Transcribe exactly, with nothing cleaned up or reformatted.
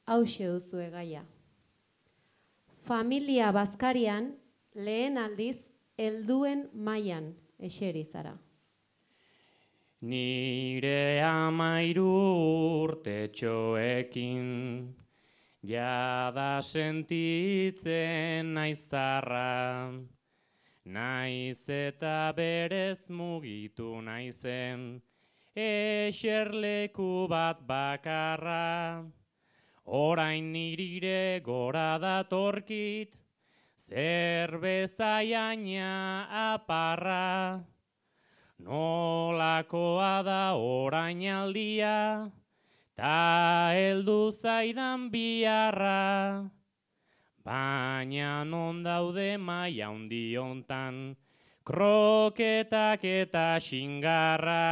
hauxe duzue gaia. Familia bazkarian lehen aldiz helduen mailan eseri zara. Nire amairu urtetxoekin jada sentitzen naizarra, naiz eta berez mugitu naizen eserleku bat bakarra. Orain nirire gora datorkit zerbeza jaina aparra. Nolakoa da orain aldia, ta heldu zaidan biharra. Baina non daude maila handi hontan, kroketak eta xingarra.